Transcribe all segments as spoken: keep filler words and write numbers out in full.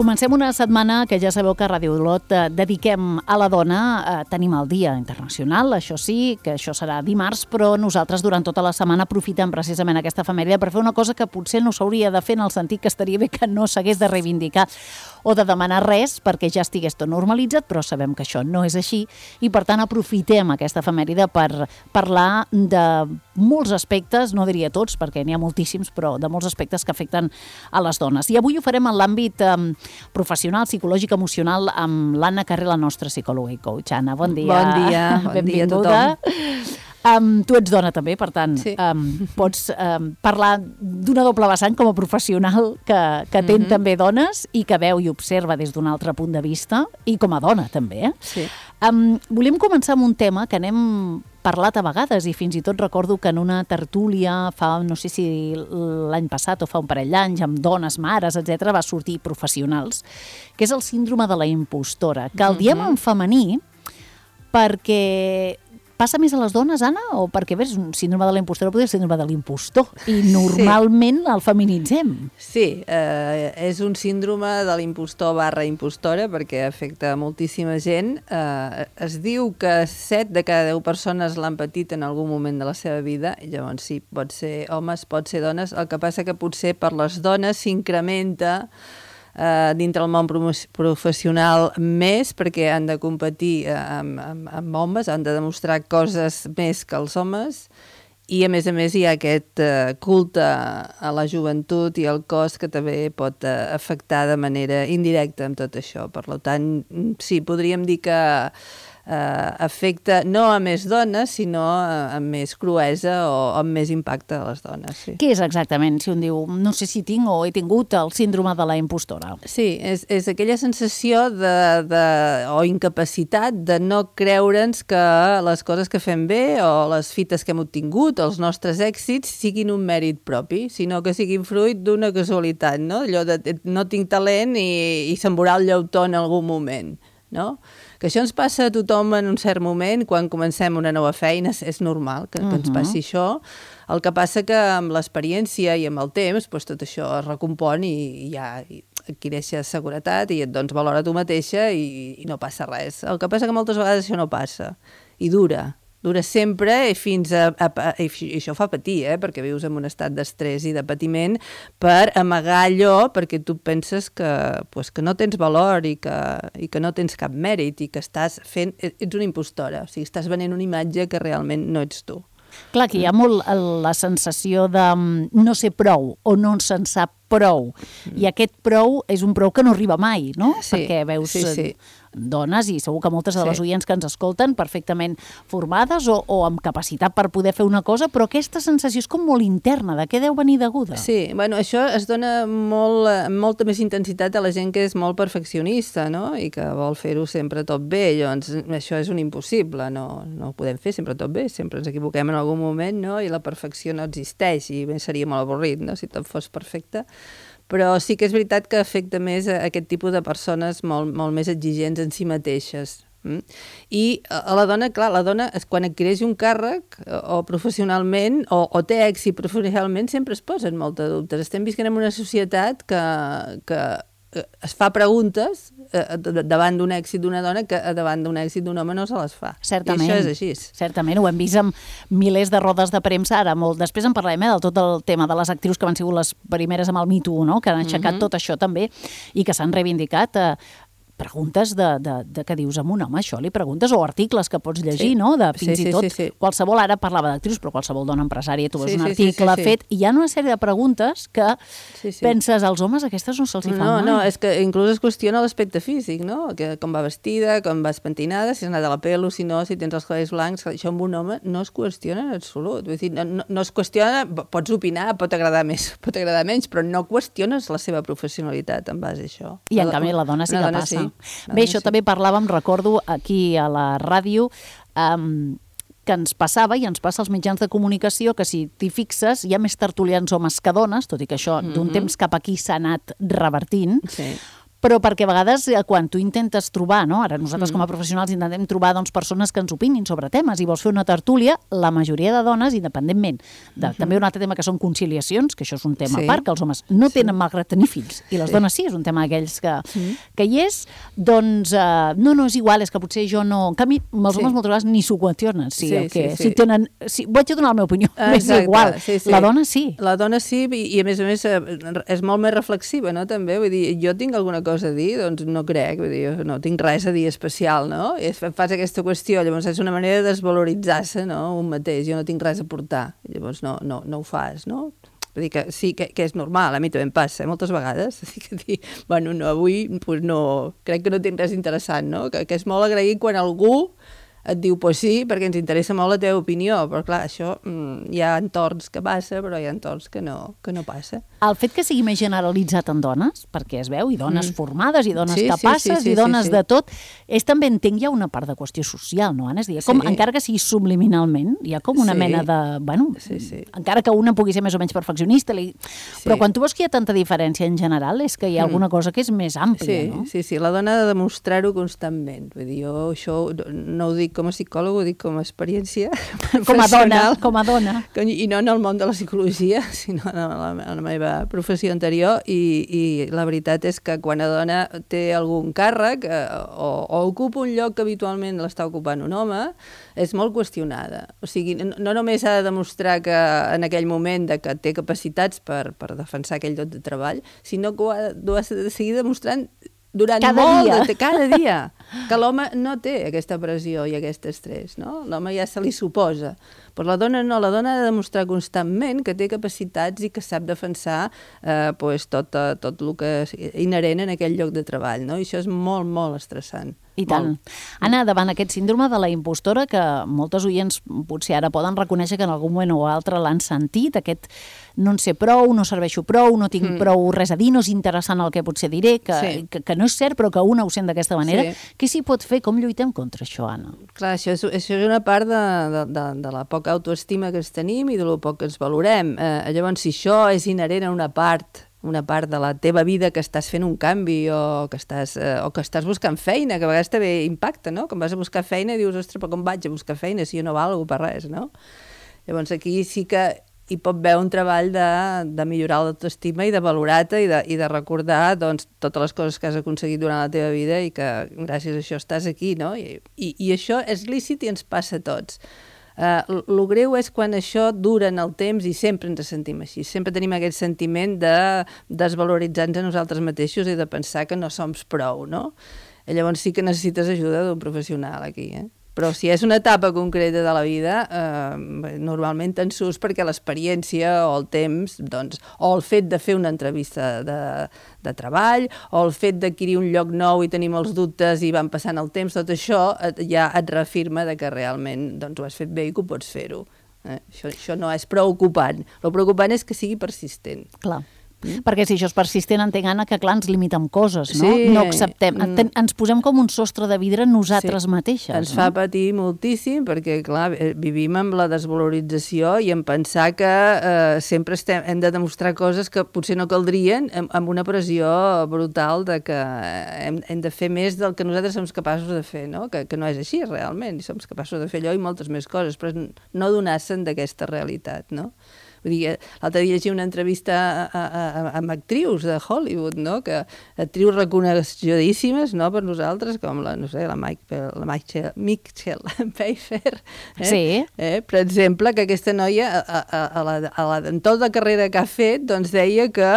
Comencem una setmana que ja sabeu que a Ràdio Olot eh, dediquem a la dona. Eh, tenim el Dia Internacional, això sí, que això serà dimarts, però nosaltres durant tota la setmana aprofitem precisament aquesta efemèride per fer una cosa que potser no s'hauria de fer, en el sentit que estaria bé que no s'hagués de reivindicar o de demanar res perquè ja estigués tot normalitzat, però sabem que això no és així i per tant aprofitem aquesta efemèride per parlar de molts aspectes, no diria tots perquè n'hi ha moltíssims, però de molts aspectes que afecten a les dones. I avui ho farem en l'àmbit eh, professional, psicològic, emocional, amb l'Anna Carré, la nostra psicòloga i coach. Anna, bon dia. Bon dia, bon dia a tothom. Um, tu ets dona també, per tant, sí. um, pots um, parlar d'una doble vessant com a professional que, que té mm-hmm. també dones i que veu i observa des d'un altre punt de vista, i com a dona també. Eh? Sí. Um, volem començar amb un tema que n'hem parlat a vegades i fins i tot recordo que en una tertúlia fa, no sé si l'any passat o fa un parell d'anys, amb dones, mares, etcètera, va sortir professionals, que és el síndrome de la impostora, que el diem en femení perquè passa més a les dones, Anna, o perquè ves, un síndrome de la impostora potser és síndrome de l'impostor, i normalment sí. el feminitzem. Sí, eh, és un síndrome de l'impostor barra impostora perquè afecta moltíssima gent. Eh, es diu que set de cada deu persones l'han patit en algun moment de la seva vida, i llavors sí, pot ser homes, pot ser dones, el que passa que potser per les dones s'incrementa Uh, dintre el món professional més perquè han de competir uh, amb, amb, amb homes, han de demostrar coses més que els homes i a més a més hi ha aquest uh, culte a la joventut i al cos que també pot uh, afectar de manera indirecta amb tot això. Per tant, sí, podríem dir que Uh, afecta no a més dones, sinó a, a més cruesa o amb més impacte a les dones. Sí. Què és exactament, si un diu, no sé si tinc o he tingut el síndrome de la impostora? Sí, és, és aquella sensació de, de, o incapacitat de no creure'ns que les coses que fem bé o les fites que hem obtingut, els nostres èxits, siguin un mèrit propi, sinó que siguin fruit d'una casualitat, no? Allò de no tinc talent i, i se'm veurà el llautó en algun moment, no? Que això ens passa a tothom en un cert moment, quan comencem una nova feina, és normal que, que ens passi això. El que passa que amb l'experiència i amb el temps, doncs tot això es recompon i, i ja adquireixes seguretat i et dones valor a tu mateixa i, i no passa res. El que passa que moltes vegades això no passa i dura. Dura sempre i fins a, a, a i això fa patir, eh? Perquè vius en un estat d'estrès i de patiment per amagar allò perquè tu penses que, pues, que no tens valor i que, i que no tens cap mèrit i que estàs fent, ets una impostora, o sigui, estàs venent una imatge que realment no ets tu. Clar, que hi ha molt la sensació de no ser prou o no se'n sap prou. Mm. I aquest prou és un prou que no arriba mai, no? Sí, perquè veus sí, sí. dones, i segur que moltes de les sí. oients que ens escolten perfectament formades o, o amb capacitat per poder fer una cosa, però aquesta sensació és com molt interna. De què deu venir deguda? Sí, bueno, això es dona molt, molta més intensitat a la gent que és molt perfeccionista, no? I que vol fer-ho sempre tot bé. Llavors, això és un impossible, no, no ho podem fer sempre tot bé, sempre ens equivoquem en algun moment, no? I la perfecció no existeix i bé, seria molt avorrit, no? Si tot fos perfecte. Però sí que és veritat que afecta més a aquest tipus de persones molt, molt més exigents en si mateixes. Mm? I a la dona, clar, la dona quan adquireix un càrrec o professionalment o, o té èxit professionalment sempre es posen molts dubtes. Estem visquent en una societat que, que es fa preguntes eh, davant d'un èxit d'una dona que davant d'un èxit d'un home no se les fa. Certament. I això és així. Certament, ho hem vist amb milers de rodes de premsa, ara molt. Després en parlarem eh, del tot el tema de les actrius que van sigut les primeres amb el Me Too, no? Que han aixecat mm-hmm. tot això també i que s'han reivindicat eh, preguntes de, de, de què dius amb un home, això li preguntes, o articles que pots llegir, sí. no? De fins sí, i tot, sí, sí, sí. qualsevol, ara parlava d'actrius, però qualsevol dona empresària, tu veus sí, un sí, article sí, sí, sí. fet, i hi ha una sèrie de preguntes que sí, sí. penses, als homes aquestes no se'ls hi fan no, mai. No, és que inclús es qüestiona l'aspecte físic, no? Que, com va vestida, com vas pentinada, si has anat a la pelo, si no, si tens els cabells blancs, això amb un home no es qüestiona en absolut. Vull dir, no, no, no es qüestiona, pots opinar, pot agradar més, pot agradar menys, però no qüestiones la seva professionalitat en base a això. I en canvi la dona sí que passa. Sí. Bé, això sí. També parlàvem, recordo, aquí a la ràdio, um, que ens passava i ens passa als mitjans de comunicació que si t'hi fixes hi ha més tertulians homes que dones, tot i que això mm-hmm. d'un temps cap aquí s'ha anat revertint, sí. però perquè a vegades quan tu intentes trobar, no? Ara nosaltres mm. com a professionals intentem trobar doncs, persones que ens opinin sobre temes i vols fer una tertúlia, la majoria de dones, independentment de mm-hmm. també un altre tema que són conciliacions, que això és un tema sí. a part, que els homes no tenen sí. malgrat tenir fills, i les sí. dones sí, és un tema d'aquells que, mm. que hi és, doncs uh, no, no és igual, és que potser jo no... En canvi, els homes sí. moltes vegades ni s'ho qüestionen, sí, sí, que, sí, sí. si tenen... Si, vaig a donar la meva opinió, és igual. Sí, sí. La dona sí. La dona sí, i, i a més a més és molt més reflexiva, no? També, vull dir, jo tinc alguna cosa a dir, doncs no crec, vull dir, no tinc res a dir especial, no? I fas aquesta qüestió, llavors és una manera de desvaloritzar-se, no? Un mateix, jo no tinc res a portar, llavors no, no, no ho fas, no? Vull dir que sí, que, que és normal, a mi també em passa, eh, moltes vegades, que dir, bueno, no, avui pues no, crec que no tinc res interessant, no? Que, que és molt agraït quan algú et diu, pues sí, perquè ens interessa molt la teva opinió, però clar, això mm, hi ha entorns que passa, però hi ha entorns que no, que no passa. El fet que sigui més generalitzat en dones, perquè es veu, i dones mm. formades, i dones sí, capaces, sí, sí, sí, i dones sí, sí. de tot, és també, entenc, hi ha una part de qüestió social, no, Anna? És dir, com, sí. encara que sigui subliminalment, hi ha com una sí. mena de... Bueno, sí, sí. encara que una pugui ser més o menys perfeccionista, li... sí. però quan tu veus que hi ha tanta diferència en general, és que hi ha alguna cosa que és més àmplia, sí, no? Sí, sí, la dona ha de demostrar-ho constantment. Vull dir, jo això no ho dic com a psicòleg, ho dic com a experiència com a dona, com a dona. I no en el món de la psicologia, sinó en la, en la meva professió anterior, i, i la veritat és que quan una dona té algun càrrec eh, o, o ocupa un lloc que habitualment l'està ocupant un home, és molt qüestionada. O sigui, no, no només ha de demostrar que en aquell moment de que té capacitats per, per defensar aquell lloc de treball, sinó que ho ha, ho ha de seguir demostrant durant cada molt dia. de cada dia, que l'home no té aquesta pressió i aquest estrès, no? L'home ja se li suposa. Però la dona no, la dona ha de demostrar constantment que té capacitats i que sap defensar eh, pues, tot, tot el que és inherent en aquell lloc de treball, no? I això és molt, molt estressant. I tant. Molt. Anna, davant aquest síndrome de la impostora, que moltes oients potser ara poden reconèixer que en algun moment o altre l'han sentit, aquest no en sé prou, no serveixo prou, no tinc mm. prou res a dir, no és interessant el que potser diré, que, sí. que, que no és cert, però que una ho sent d'aquesta manera. Sí. Què s'hi pot fer? Com lluitem contra això, Anna? Clar, això és, això és una part de, de, de, de la poca autoestima que ens tenim i de lo poc que ens valorem. Eh, llavors, si això és inherent a una part una part de la teva vida que estàs fent un canvi o que estàs, eh, o que estàs buscant feina, que a vegades també impacta, no? Quan vas a buscar feina i dius, ostres, però com vaig a buscar feina si jo no valgo per res, no? Llavors aquí sí que hi pot haver un treball de, de millorar l'autoestima i de valorar-te i, de, i de recordar doncs, totes les coses que has aconseguit durant la teva vida i que gràcies a això estàs aquí, no? I, i, i això és lícit i ens passa a tots. Uh, el greu és quan això dura en el temps i sempre ens sentim així, sempre tenim aquest sentiment de desvaloritzar-nos a nosaltres mateixos i de pensar que no som prou, no? I llavors sí que necessites ajuda d'un professional aquí, eh? Però si és una etapa concreta de la vida, eh, normalment te'n surts perquè l'experiència o el temps, doncs, o el fet de fer una entrevista de, de treball, o el fet d'adquirir un lloc nou i tenir molts dubtes i van passant el temps, tot això et, ja et reafirma de que realment doncs, ho has fet bé i que ho pots fer-ho. Eh? Això, això no és preocupant. El preocupant és que sigui persistent. Clar. Mm. Perquè si això és persistent, entenc, Anna, que clar, ens limitem coses, no? Sí. No acceptem. Mm. Ens posem com un sostre de vidre nosaltres sí. mateixes. Ens no? fa patir moltíssim perquè, clar, vivim amb la desvalorització i en pensar que eh, sempre estem, hem de demostrar coses que potser no caldrien amb, amb una pressió brutal de que hem, hem de fer més del que nosaltres som capaços de fer, no? Que, que no és així, realment. I som capaços de fer allò i moltes més coses, però no donar-se'n d'aquesta realitat, no? Vull dir, l'altre dia llegia una entrevista a, a, a, amb actrius de Hollywood, no? Que actrius reconeguidíssimes, no? Per nosaltres, com la, no sé, la Mike, la Michelle, Michelle Pfeiffer, eh? Sí. Eh? Per exemple, que aquesta noia, a, a, a la, a la, en tota la carrera que ha fet, doncs deia que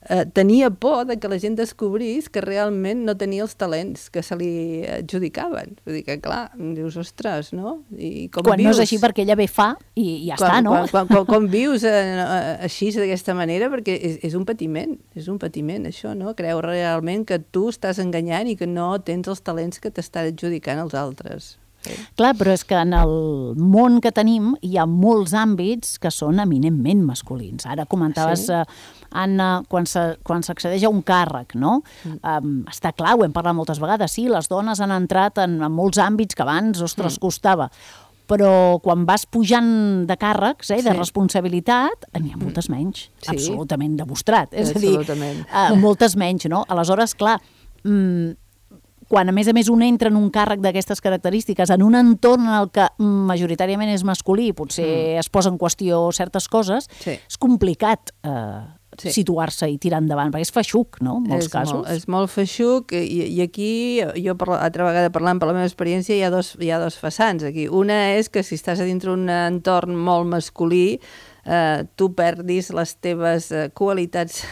eh, tenia por de que la gent descobrís que realment no tenia els talents que se li adjudicaven. Vull dir que, clar, dius, ostres, no? I com quan vius? No és així perquè ella bé fa i ja quan, està, no? Quan, quan, quan, quan vius així, d'aquesta manera, perquè és, és un patiment, és un patiment això, no? Creu realment que tu estàs enganyant i que no tens els talents que t'estan adjudicant els altres. Sí. Clar, però és que en el món que tenim hi ha molts àmbits que són eminentment masculins. Ara comentaves, sí. uh, Anna, quan s'accedeix a un càrrec, no? Mm. Um, està clar, ho hem parlat moltes vegades, sí, les dones han entrat en, en molts àmbits que abans, ostres, mm. costava. Però quan vas pujant de càrrecs, eh, de sí. responsabilitat, n'hi ha moltes menys, sí. absolutament demostrat. És a dir, uh, moltes menys, no? Aleshores, clar, mm, quan a més a més un entra en un càrrec d'aquestes característiques, en un entorn en el que majoritàriament és masculí, potser mm. es posa en qüestió certes coses, sí. és complicat eh, sí. situar-se i tirar endavant, perquè és feixuc, no?, en molts és casos. Molt, és molt feixuc, i, i aquí, jo per, altra vegada parlant per la meva experiència, hi ha dos, hi ha dos vessants aquí. Una és que si estàs a dintre un entorn molt masculí, eh, tu perdis les teves eh, qualitats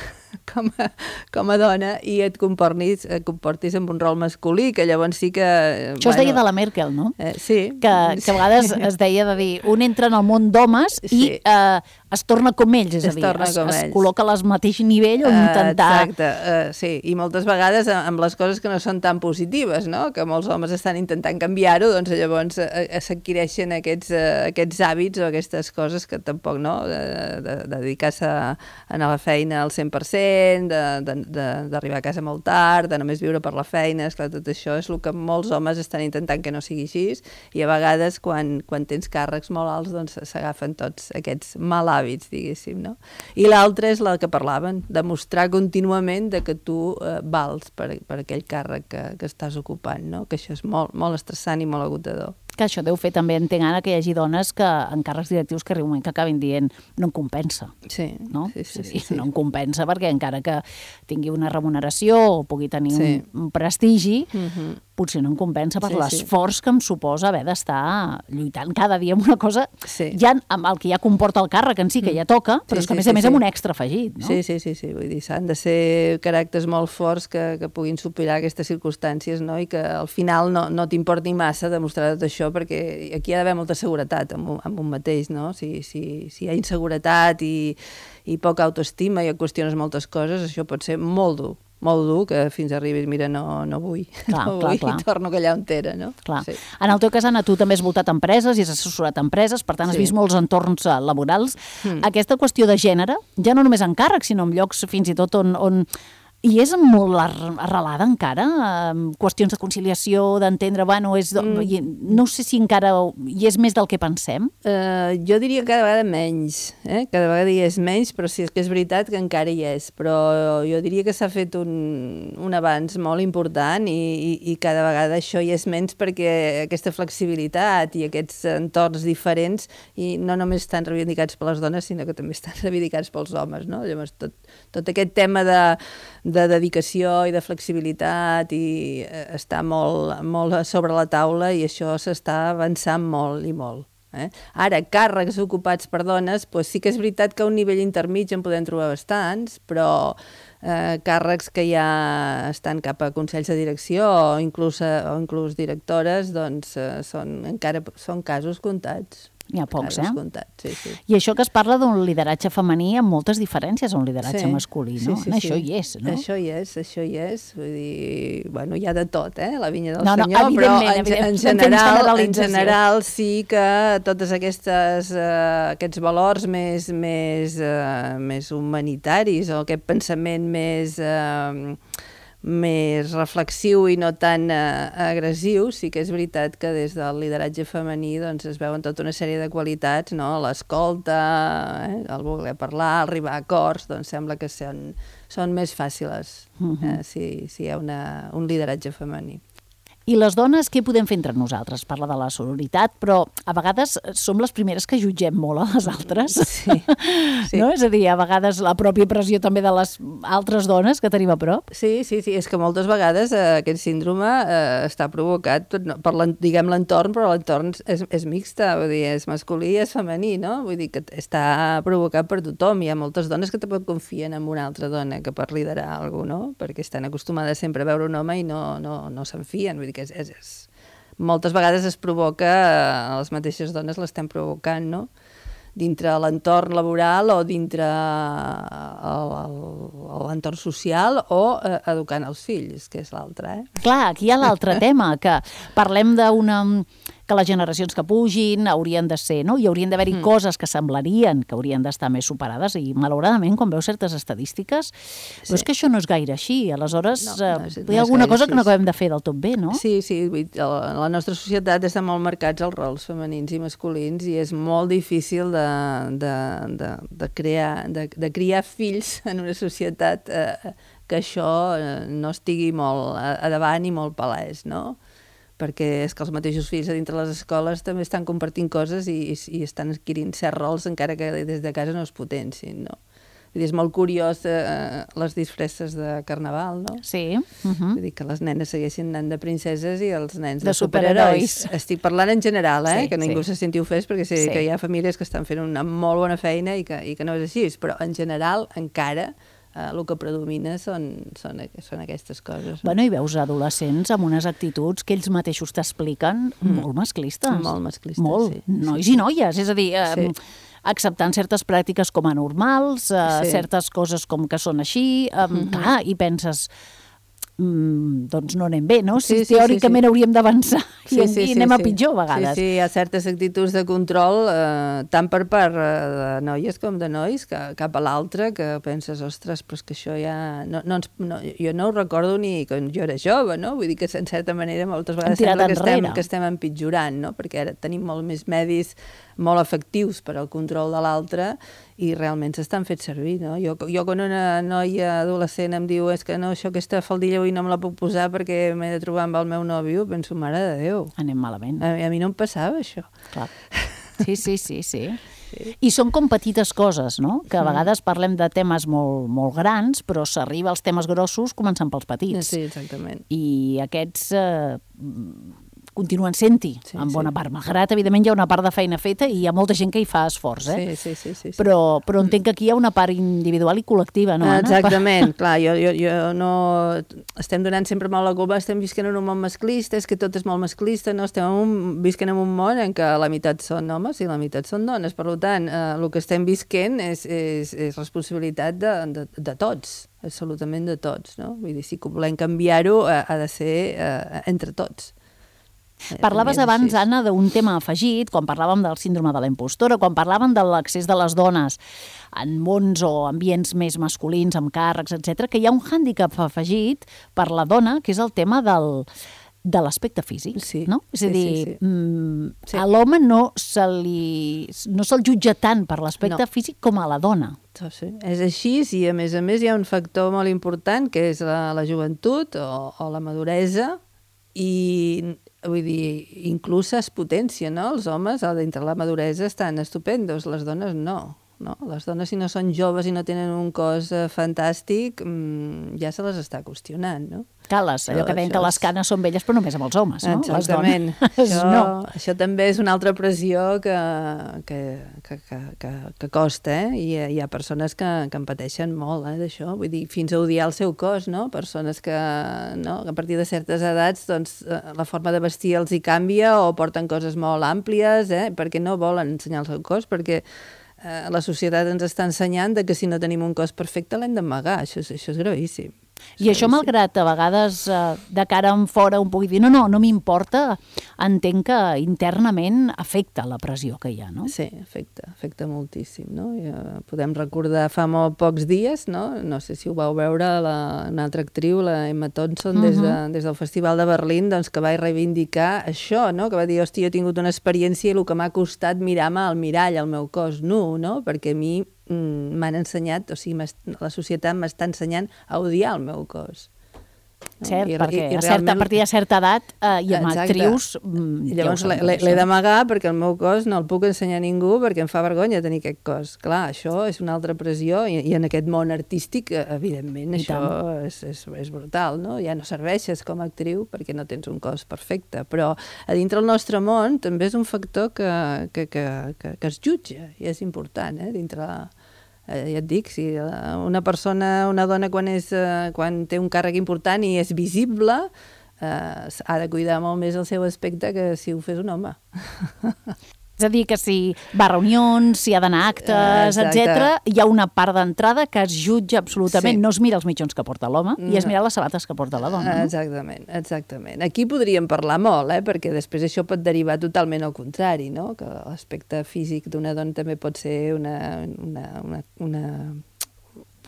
com a, com a dona i et comportis, et comportis amb un rol masculí, que llavors sí que... Això bueno, es deia de la Merkel, no? Eh, sí. Que, que a vegades es deia de dir, un entra en el món d'homes sí. i eh, es torna com ells, és es a dir, es, es ells. col·loca al mateix nivell on uh, intentar... Exacte, uh, sí, i moltes vegades amb les coses que no són tan positives, no?, que molts homes estan intentant canviar-ho, doncs llavors uh, s'adquireixen aquests, uh, aquests hàbits o aquestes coses que tampoc, no?, de, de, de dedicar-se a, a la feina al cent per cent, d'arribar a casa molt tard, de només viure per la feina, esclar, tot això és el que molts homes estan intentant que no sigui així, i a vegades quan, quan tens càrrecs molt alts doncs s'agafen tots aquests mal hàbits, diguéssim, no? I l'altre és el que parlaven, demostrar contínuament de que tu eh, vals per, per aquell càrrec que, que estàs ocupant, no? Que això és molt, molt estressant i molt agotador. Que això deu fer també, entenc ara, que hi hagi dones que en càrrecs directius que arriba un moment que acabin dient no em compensa. Sí, no? sí, sí, sí, sí, sí. No em compensa perquè encara que tingui una remuneració o pugui tenir sí. un, un prestigi, uh-huh. potser no em compensa per sí, l'esforç sí. que em suposa haver d'estar lluitant cada dia amb una cosa, sí. ja amb el que ja comporta el càrrec en si, que ja toca, però sí, és que a més sí, a més sí. amb un extra afegit, no? Sí, sí, sí, sí. Vull dir, s'han de ser caràcters molt forts que, que puguin superar aquestes circumstàncies, no?, i que al final no, no t'importi massa demostrar tot això, perquè aquí hi ha d'haver molta seguretat amb un, amb un mateix, no? Si, si, si hi ha inseguretat i, i poca autoestima i et qüestiones moltes coses, això pot ser molt dur, molt dur, que fins arribis, mira, no, no vull, clar, no clar, vull, clar. I torno allà on era, no? Clar. Sí. En el teu cas, Anna, tu també has voltat empreses i has assessorat empreses, per tant, has sí. vist molts entorns laborals. Mm. Aquesta qüestió de gènere, ja no només en càrrecs, sinó en llocs fins i tot on... on i és molt arrelada encara? Qüestions de conciliació, d'entendre, bueno, és, mm. no sé si encara hi és més del que pensem. Uh, jo diria que cada vegada menys, eh? Cada vegada hi és menys, però sí que és veritat que encara hi és. Però jo diria que s'ha fet un, un avanç molt important i, i, i cada vegada això hi és menys perquè aquesta flexibilitat i aquests entorns diferents i no només estan reivindicats per les dones, sinó que també estan reivindicats pels homes, no? Llavors, tot, tot aquest tema de de dedicació i de flexibilitat i està molt, molt sobre la taula i això s'està avançant molt i molt. Eh? Ara, càrrecs ocupats per dones, doncs sí que és veritat que a un nivell intermig en podem trobar bastants, però eh, càrrecs que ja estan cap a consells de direcció o inclús, o inclús directores, doncs eh, són, encara són casos comptats. N'hi ha pocs, eh? Comptat, sí, sí. I això que es parla d'un lideratge femení amb moltes diferències a un lideratge sí, masculí, no? Sí, sí, això sí. hi és, no? Això hi és, això hi és. Vull dir, bueno, hi ha de tot, eh? La vinya del no, no, senyor, però en, en, general, en general sí que totes aquestes, uh, aquests valors més, més, uh, més humanitaris o aquest pensament més... Uh, més reflexiu i no tan eh, agressiu, sí que és veritat que des del lideratge femení doncs, es veuen tota una sèrie de qualitats, no? L'escolta, eh? el voler parlar, arribar a acords, doncs sembla que són, són més fàcils eh? si, si hi ha una, un lideratge femení. I les dones, què podem fer entre nosaltres? Parla de la sororitat, però a vegades som les primeres que jutgem molt a les altres. Sí, sí. No? És a dir, a vegades la pròpia pressió també de les altres dones que tenim a prop. Sí, sí, sí. És que moltes vegades eh, aquest síndrome eh, està provocat tot, no, per diguem l'entorn, però l'entorn és, és mixta, vull dir, és masculí i és femení, no? Vull dir que està provocat per tothom. Hi ha moltes dones que tampoc confien en una altra dona que per liderar alguna cosa, no? Perquè estan acostumades sempre a veure un home i no, no, no se'n fien, vull dir que és, és, és... moltes vegades es provoca, eh, les mateixes dones l'estem provocant, no? Dintre l'entorn laboral o dintre l'entorn social o eh, educant els fills, que és l'altre, eh? Clar, aquí hi ha l'altre tema, que parlem d'una que les generacions que pugin haurien de ser, no? Hi haurien d'haver-hi mm. coses que semblarien que haurien d'estar més superades i, malauradament, quan veus certes estadístiques, sí. però és que això no és gaire així. Aleshores, no, no és, no hi ha alguna cosa així. Que no acabem de fer del tot bé, no? Sí, sí. La nostra societat està molt marcats els rols femenins i masculins i és molt difícil de, de, de, de, crear, de, de criar fills en una societat eh, que això no estigui molt a davant i molt palès, no? Perquè és que els mateixos fills a dintre les escoles també estan compartint coses i, i estan adquirint certs rols encara que des de casa no es potencin, no? Vull dir, és molt curiós eh, les disfresses de carnaval, no? Sí. Uh -huh. Vull dir que les nenes segueixin anant de princeses i els nens de, de superherois. superherois. Estic parlant en general, eh? Sí, que ningú sí. se senti ofès perquè sé sí. que hi ha famílies que estan fent una molt bona feina i que, i que no és així, però en general encara Uh, el que predomina són, són, són aquestes coses. Bueno, i veus adolescents amb unes actituds que ells mateixos t'expliquen mm. molt masclistes. Molt masclistes, molt. sí. Nois sí. i noies, és a dir, eh, sí. acceptant certes pràctiques com a normals, eh, sí. certes coses com que són així, eh, mm-hmm. clar, i penses... Mm, doncs no anem bé, no? Si sí, sí, teòricament sí, sí. hauríem d'avançar sí, i, sí, i anem sí, a pitjor a vegades. Sí, sí, hi ha certes actituds de control, eh, tant per part de noies com de nois, que, cap a l'altre, que penses, ostres, però és que això ja... No, no ens, no, jo no ho recordo ni quan jo era jove, no? Vull dir que, en certa manera, moltes vegades sembla que estem, que estem empitjorant, no? Perquè ara tenim molt més medis molt efectius per al control de l'altre i realment s'estan fet servir, no? Jo, jo quan una noia adolescent em diu és que no, això, aquesta faldilla avui no me la puc posar perquè m'he de trobar amb el meu nòvio, penso, mare de Déu. Anem malament. A, a mi no em passava, això. Clar. Sí, sí, sí, sí. Sí. I són com petites coses, no? Que a vegades parlem de temes molt, molt grans, però s'arriba als temes grossos començant pels petits. Sí, exactament. I aquests... Eh, continuen sent-hi, sí, en bona sí. part. Malgrat, evidentment, hi ha una part de feina feta i hi ha molta gent que hi fa esforç, eh? Sí, sí, sí. sí, sí. Però, però entenc que aquí hi ha una part individual i col·lectiva, no, Anna? Exactament, clar, jo, jo, jo no... Estem donant sempre molt la culpa, estem visquent en un món masclista, és que tot és molt masclista, no? Estem en un, visquent en un món en què la meitat són homes i la meitat són dones, per tant, eh, el que estem visquent és, és, és responsabilitat de, de, de tots, absolutament de tots, no? Vull dir, si volem canviar-ho, eh, ha de ser eh, entre tots. Parlaves abans, Anna, d'un tema afegit, quan parlàvem del síndrome de la impostora, quan parlàvem de l'accés de les dones en mons o ambients més masculins, amb càrrecs, etcètera, que hi ha un hàndicap afegit per la dona, que és el tema del, de l'aspecte físic, sí, no? És a sí, dir, sí, sí. Mm, sí. a l'home no se li, no se'l jutja tant per l'aspecte no. físic com a la dona. Sí. És així i, a més a més, hi ha un factor molt important, que és la, la joventut o, o la maduresa, i vull dir, inclús es potència, no? Els homes, dintre la maduresa, estan estupendos, les dones no. No? Les dones, si no són joves i no tenen un cos eh, fantàstic, mmm, ja se les està qüestionant, no? Cales, allò que deien que les canes són velles, però només amb els homes, no? Exactament. Les dones, això, no. Això també és una altra pressió que, que, que, que, que, que costa, eh? I hi ha persones que, que en pateixen molt, eh, d'això. Vull dir, fins a odiar el seu cos, no? Persones que, no? que a partir de certes edats, doncs, la forma de vestir els hi canvia o porten coses molt àmplies, eh? Perquè no volen ensenyar el seu cos, perquè Eh, la societat ens està ensenyant de que si no tenim un cos perfecte l'hem d'amagar. Això, això és gravíssim. I això, malgrat a vegades eh, de cara en fora un pugui dir no, no, no m'importa, entenc que internament afecta la pressió que hi ha, no? Sí, afecta, afecta moltíssim, no? I, uh, podem recordar fa molt pocs dies, no? No sé si ho vau veure, la, una altra actriu, la Emma Thompson, des, de, des del Festival de Berlín, doncs, que va reivindicar això, no? Que va dir, hòstia, jo he tingut una experiència i el que m'ha costat mirar-me al mirall, al meu cos nu, no? Perquè a mi m'han ensenyat, o sigui, la societat m'està ensenyant a odiar el meu cos. No? Cert, I, perquè i, i a, certa, a partir de certa edat eh, i amb exacte. actrius... I llavors ja l'he d'amagar perquè el meu cos no el puc ensenyar a ningú perquè em fa vergonya tenir aquest cos. Clar, això és una altra pressió i, i en aquest món artístic, evidentment, I això és, és, és brutal, no? Ja no serveixes com a actriu perquè no tens un cos perfecte, però a dintre el nostre món també és un factor que, que, que, que, que es jutja i és important, eh? Dintre Eh, ja et dic, si una persona, una dona quan, és, eh, quan té un càrrec important i és visible, eh, ha de cuidar molt més el seu aspecte que si ho fes un home. És a dir, que si va a reunions, si ha d'anar a actes, etcètera, hi ha una part d'entrada que es jutja absolutament. Sí. No es mira els mitjons que porta l'home no. i es mira les sabates que porta la dona. No? Exactament, exactament. Aquí podríem parlar molt, eh? Perquè després això pot derivar totalment al contrari, no? Que l'aspecte físic d'una dona també pot ser una... una, una, una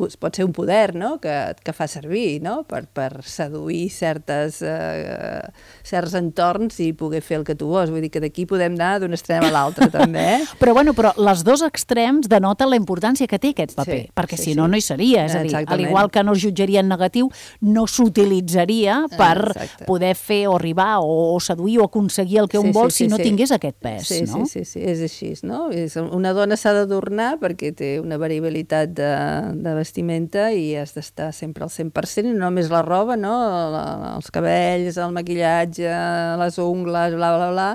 pot ser un poder, no?, que, que fa servir, no?, per, per seduir certes, eh, certs entorns i poder fer el que tu vols. Vull dir que d'aquí podem anar d'un extrem a l'altre, també, eh? Però, bueno, però els dos extrems denoten la importància que té aquest paper, sí, perquè sí, si no, sí. no hi seria. És a dir, Exactament. Al igual que no es jutjaria en negatiu, no s'utilitzaria per Exacte. Poder fer o arribar o seduir o aconseguir el que un sí, vol sí, si sí, no sí. tingués aquest pes, sí, no? Sí, sí, sí, és així, no? Una dona s'ha d'adornar perquè té una variabilitat de, de vestimenta i has d'estar sempre al cent per cent, i no només la roba, no? Els cabells, el maquillatge, les ungles, bla, bla, bla.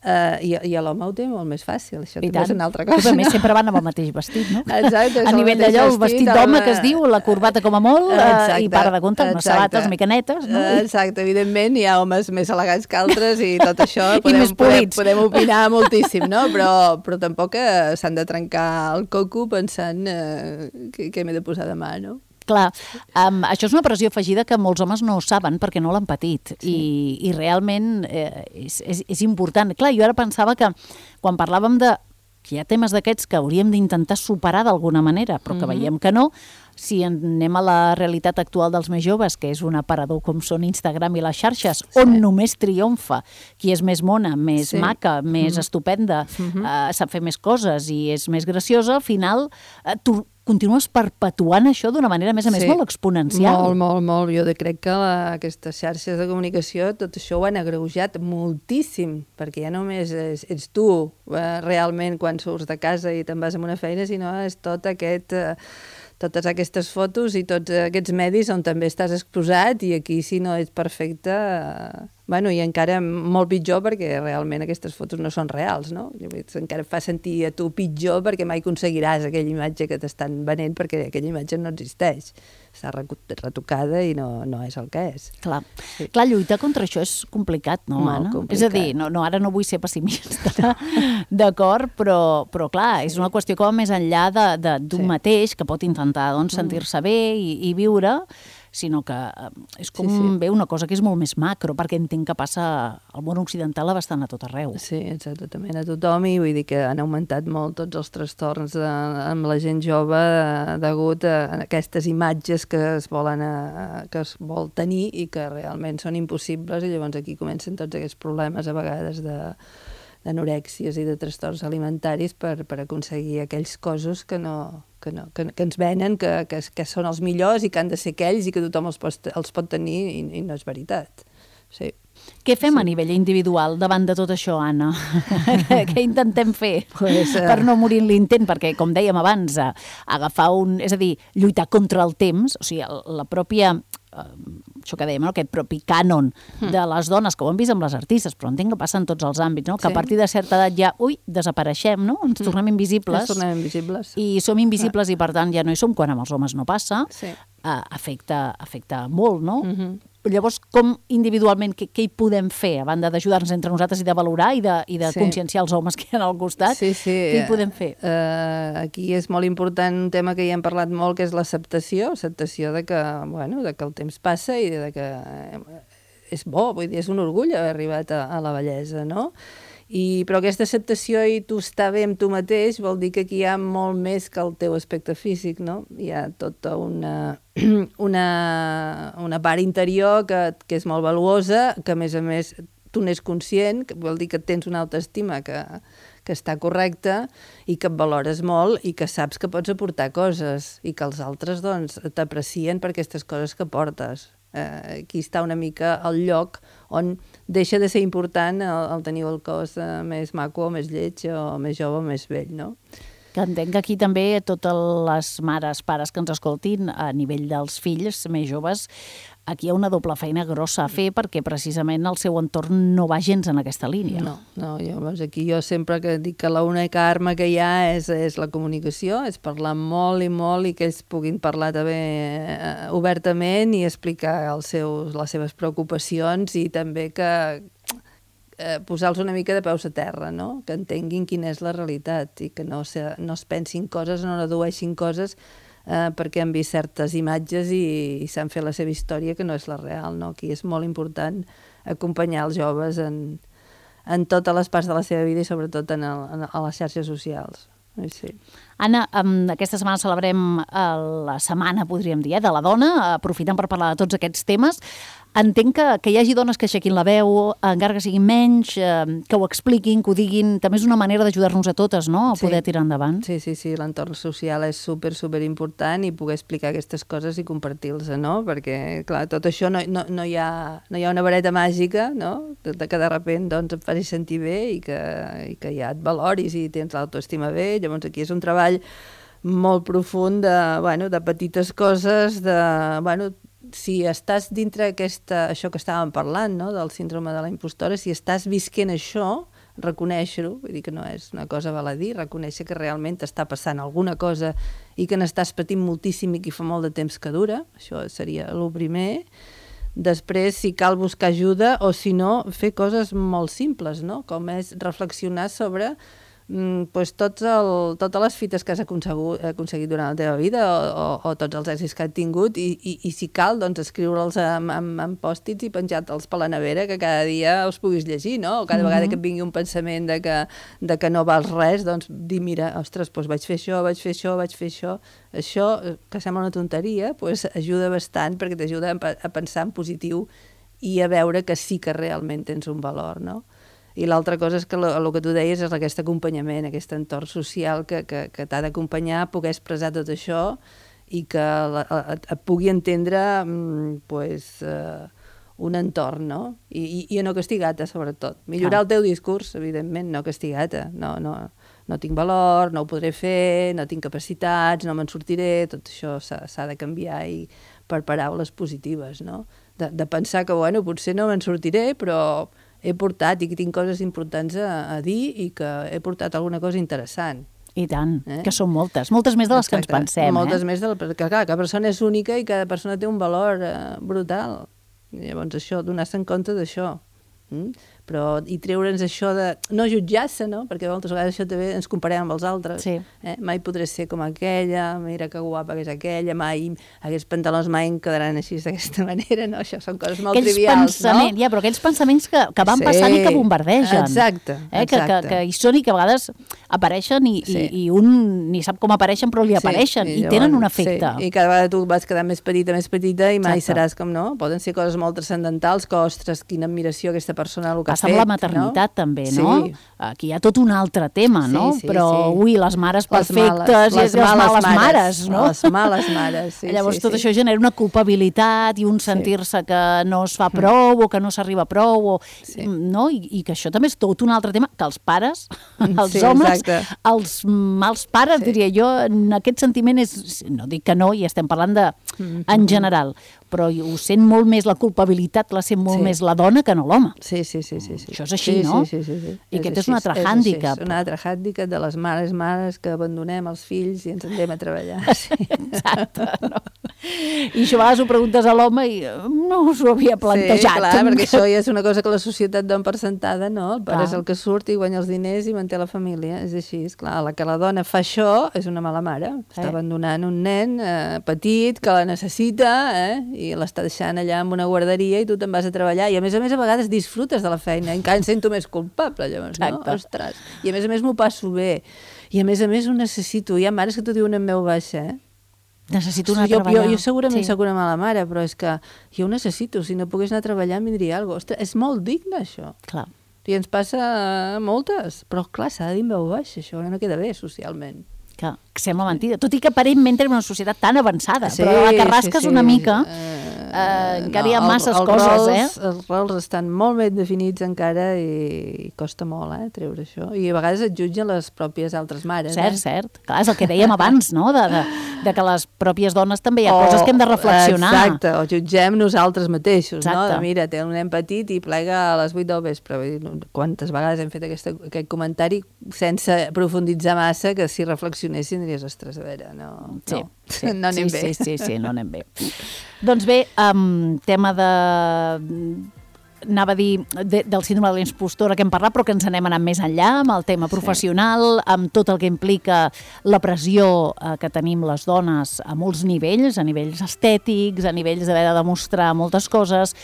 Uh, I i l'home ho té molt més fàcil, això també és una altra cosa. A més, sempre van amb el mateix vestit, no? Exacte. A nivell d'allò, el vestit d'home que es diu, la corbata com a molt, exacte, i para de comptar, unes sabates micanetes, no? Exacte, evidentment, hi ha homes més elegants que altres i tot això podem, podem, podem opinar moltíssim, no? Però, però tampoc s'han de trencar el coco pensant uh, que, que m'he de posar demà, no? Clar, um, això és una pressió afegida que molts homes no saben perquè no l'han patit, sí. i, i realment eh, és, és, és important. Clar, jo ara pensava que quan parlàvem de que hi ha temes d'aquests que hauríem d'intentar superar d'alguna manera, però que mm-hmm. veiem que no, si anem a la realitat actual dels més joves, que és un aparador com són Instagram i les xarxes, sí. on només triomfa qui és més mona, més sí. maca, més mm-hmm. estupenda, mm-hmm. Uh, sap fer més coses i és més graciosa, al final uh, tu continues perpetuant això d'una manera, a més a més, sí. molt exponencial. Molt, molt, molt. Jo crec que la, aquestes xarxes de comunicació, tot això ho han agreujat moltíssim, perquè ja només és, ets tu eh, realment quan surts de casa i te'n vas a una feina, sinó és tot aquest... Eh, totes aquestes fotos i tots aquests medis on també estàs exposat, i aquí si no ets perfecte, eh, bueno, i encara molt pitjor perquè realment aquestes fotos no són reals, no? Encara et fa sentir a tu pitjor perquè mai aconseguiràs aquella imatge que t'estan venent, perquè aquella imatge no existeix. Està retocada i no, no és el que és. Clar. Sí. Clar, lluitar contra això és complicat, no, molt Anna? Complicat. És a dir, no, no, ara no vull ser pessimista, d'acord, però, però clar, és una qüestió com més enllà d'un sí. mateix, que pot intentar doncs, sentir-se bé i, i viure, sinó que és com sí, sí. bé una cosa que és molt més macro, perquè entenc que passa al món occidental bastant a tot arreu. Sí, exactament, a tothom, i vull dir que han augmentat molt tots els trastorns de, amb la gent jove degut a aquestes imatges que es volen a, que es vol tenir i que realment són impossibles, i llavors aquí comencen tots aquests problemes a vegades de d'anorèxies i de trastorns alimentaris per, per aconseguir aquells cossos que, no, que, no, que, que ens venen, que, que, que són els millors i que han de ser aquells i que tothom els pot, els pot tenir, i, i no és veritat. Sí. Què fem sí. a nivell individual davant de tot això, Anna? Què intentem fer pues, uh... per no morir en l'intent? Perquè, com dèiem abans, agafar un... És a dir, lluitar contra el temps, o sigui, la pròpia... això que dèiem, no? Aquest propi cànon de les dones, que ho hem vist amb les artistes, però entenc que passa en tots els àmbits, no? Que sí. a partir de certa edat ja, ui, desapareixem, no? Ens tornem invisibles. Ens tornem invisibles. I som invisibles ah. i, per tant, ja no hi som, quan amb els homes no passa. Sí. Uh, afecta, afecta molt, no? Mm-hmm. Llavors, com individualment, què, què hi podem fer, a banda d'ajudar-nos entre nosaltres i de valorar i de, i de sí. conscienciar els homes que hi ha al costat? Sí, sí. Què hi podem fer? Uh, aquí és molt important un tema que ja hem parlat molt, que és l'acceptació, acceptació de que, bueno, de que el temps passa i de que és bo, vull dir, és un orgull haver arribat a, a la bellesa, no? I, però aquesta acceptació i tu estar bé amb tu mateix vol dir que aquí hi ha molt més que el teu aspecte físic, no? Hi ha tota una, una, una part interior que, que és molt valuosa, que a més a més tu n'és conscient, que vol dir que tens una autoestima que, que està correcta i que et valores molt i que saps que pots aportar coses i que els altres doncs t'aprecien per aquestes coses que portes. Eh, aquí està una mica el lloc on deixa de ser important el, el tenir el cos eh, més maco o més lleig o més jove o més vell, no? Que entenc que aquí també totes les mares, pares que ens escoltin a nivell dels fills més joves, aquí hi ha una doble feina grossa a fer perquè precisament el seu entorn no va gens en aquesta línia. No, no, llavors aquí jo sempre que dic que l'única arma que hi ha és, és la comunicació, és parlar molt i molt i que ells puguin parlar també eh, obertament i explicar els seus, les seves preocupacions, i també que eh, posar-los una mica de peus a terra, no? Que entenguin quina és la realitat i que no, se, no es pensin coses, no redueixin coses eh, perquè han vist certes imatges i, i s'han fet la seva història que no és la real, no? Aquí és molt important acompanyar els joves en, en totes les parts de la seva vida i sobretot en el, en, a les xarxes socials. Sí. Anna, um, aquesta setmana celebrem uh, la setmana, podríem dir, eh, de la dona, aprofitant per parlar de tots aquests temes. Entenc que, que hi hagi dones que aixequin la veu, encara que siguin menys, eh, que ho expliquin, que ho diguin. També és una manera d'ajudar-nos a totes, no?, a poder sí. tirar endavant. Sí, sí, sí, l'entorn social és super, super important i poder explicar aquestes coses i compartir-les, no? Perquè, clar, tot això no, no, no, hi, ha, no hi ha una vareta màgica, no?, de, que de sobte doncs, et faci sentir bé i que, i que ja et valoris i tens l'autoestima bé. Llavors aquí és un treball molt profund de, bueno, de petites coses, de, bueno, si estàs dintre aquesta, això que estàvem parlant, no?, del síndrome de la impostora, si estàs visquent això, reconèixer-ho, vull dir que no és una cosa baladí, reconèixer que realment està passant alguna cosa i que n'estàs patint moltíssim i que fa molt de temps que dura, això seria el primer. Després, si cal buscar ajuda o si no, fer coses molt simples, no?, com és reflexionar sobre pues tots el, totes les fites que has aconsegut, aconseguit durant la teva vida o, o, o tots els èxits que has tingut i, i, i si cal, doncs escriure'ls amb, amb, amb pòstits i penjar-te'ls per la nevera que cada dia els puguis llegir, no? O cada mm-hmm. vegada que et vingui un pensament de que, de que no vals res, doncs dir, mira, ostres, doncs vaig fer això, vaig fer això, vaig fer això. Això, que sembla una tonteria, doncs ajuda bastant perquè t'ajuda a pensar en positiu i a veure que sí que realment tens un valor, no? I l'altra cosa és que el que tu deies és aquest acompanyament, aquest entorn social que, que, que t'ha d'acompanyar a poder expressar tot això i que la, et, et pugui entendre pues, uh, un entorn, no? I, i, i no castigar-te, sobretot. Millorar ah. el teu discurs, evidentment, no castigar-te. No, no, no tinc valor, no ho podré fer, no tinc capacitats, no me'n sortiré, tot això s'ha de canviar i per paraules positives, no? De, de pensar que, bueno, potser no me'n sortiré, però he portat i que tinc coses importants a, a dir i que he portat alguna cosa interessant. I tant, eh? Que són moltes, moltes més de les Exacte. Que ens pensem. Moltes eh? més de la, perquè clar, cada persona és única i cada persona té un valor eh, brutal. I llavors això, donar-se en compte d'això. Mm? Però i treure'ns això de no jutjar-se, no? Perquè moltes vegades això també ens comparem amb els altres. Sí. Eh? Mai podré ser com aquella, mira que guapa que és aquella, mai aquests pantalons mai em quedaran així d'aquesta manera, no? Això són coses molt aquells trivials, no? Ja, però aquells pensaments que, que van sí. passant i que bombardegen. Exacte, eh? exacte. Que, que, que hi són i que a vegades apareixen i, sí. i, i un ni sap com apareixen, però li apareixen sí. i, i tenen un efecte. Sí. I cada vegada tu vas quedar més petita, més petita i mai Exacte. Seràs com, no? Poden ser coses molt transcendentals que, ostres, quina admiració aquesta persona el que Passa ha fet. Passa amb la maternitat, no? També, no? Sí. Aquí hi ha tot un altre tema, no? Sí, sí, però, sí. ui, les mares perfectes, les, males, les, les males, males mares, mares, no? Les males mares, sí. Llavors sí, tot sí. això genera una culpabilitat i un sentir-se que no es fa prou o que no s'arriba prou, o, sí. no? I, I que això també és tot un altre tema, que els pares, els sí, homes, exacte. els mals pares, sí. diria jo, en aquest sentiment és, no dic que no, i estem parlant de, mm-hmm. en general, però ho sent molt més, la culpabilitat la sent molt sí. més la dona que no l'home. Sí, sí, sí, sí, sí. Això és així, sí, no? Sí, sí, sí, sí. I és aquest així, és un altre és hàndicap. És un altre hàndicap de les mares mares que abandonem els fills i ens anem a treballar. Sí. Exacte, no? I això a vegades ho preguntes a l'home i no us ho havia plantejat. Sí, clar, perquè això ja és una cosa que la societat dona per sentada, no? El pare clar. És el que surt i guanya els diners i manté la família. És així, és clar. La que la dona fa això és una mala mare. Està eh. abandonant un nen eh, petit que la necessita eh? I l'està deixant allà amb una guarderia i tu te'n vas a treballar. I a més a més a vegades disfrutes de la feina. Encara em sento més culpable, llavors, no? Ostres. I a més a més m'ho passo bé. I a més a més ho necessito. Hi ha mares que t'ho diuen en veu baixa, eh? Necessito anar a jo, treballar. Jo, jo segurament sí. soc una mala mare, però és que jo ho necessito. Si no pogués anar a treballar em vindria alguna cosa. Ostres, és molt digne, això. Clar. I ens passa a moltes. Però, clar, s'ha de dir en veu baixa. Això no queda bé socialment. Que, que sembla mentida. Tot i que aparentment tenim una societat tan avançada, sí, però la que rasques sí, sí. una mica, eh, eh, encara no, hi ha masses el, el coses, rols, eh? Els rols estan molt ben definits encara i, i costa molt, eh, treure això. I a vegades et jutgen les pròpies altres mares. Cert, eh? cert. Clar, és el que dèiem abans, no? De, de, de que les pròpies dones també hi ha o, coses que hem de reflexionar. Exacte, o jutgem nosaltres mateixos, exacte. No? De, mira, té un nen petit i plega a les vuit del vespre. Quantes vegades hem fet aquesta, aquest comentari sense profunditzar massa, que si reflexionessin diries, ostres, a veure, no, sí, no, sí, no anem sí, bé. Sí, sí, sí, no anem bé. Doncs bé, um, tema de... anava a dir de, del síndrome de l'impostora que hem parlat, però que ens anem anant més enllà amb el tema professional, sí. amb tot el que implica la pressió eh, que tenim les dones a molts nivells, a nivells estètics, a nivells d'haver de demostrar moltes coses,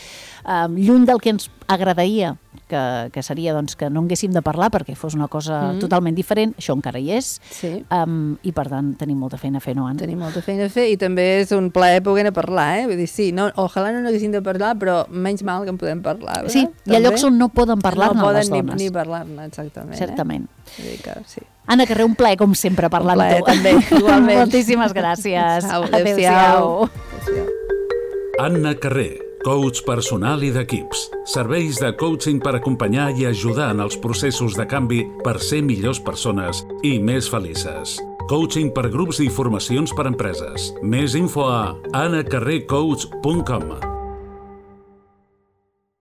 eh, lluny del que ens agradaria, que, que seria doncs, que no haguéssim de parlar perquè fos una cosa mm. totalment diferent, això encara hi és, sí. um, i per tant tenim molta feina a fer, no, Anna? Tenim molta feina a fer i també és un plaer poder parlar, eh? Vull dir, sí, no, ojalà no n'haguéssim de parlar, però menys mal que en podem parlar. Eh? Sí, hi ha llocs on no poden parlar-ne no les dones. No poden ni, ni parlar-ne, exactament. Certament. Eh? Vull dir que, sí. Anna Carrer, un plaer, com sempre, parlar amb tu. Un plaer, també, igualment. Moltíssimes gràcies. Adéu-siau. Anna Carrer, coach personal i d'equips. Serveis de coaching per acompanyar i ajudar en els processos de canvi per ser millors persones i més felices. Coaching per grups i formacions per empreses. Més info a anna carrer coach punt com.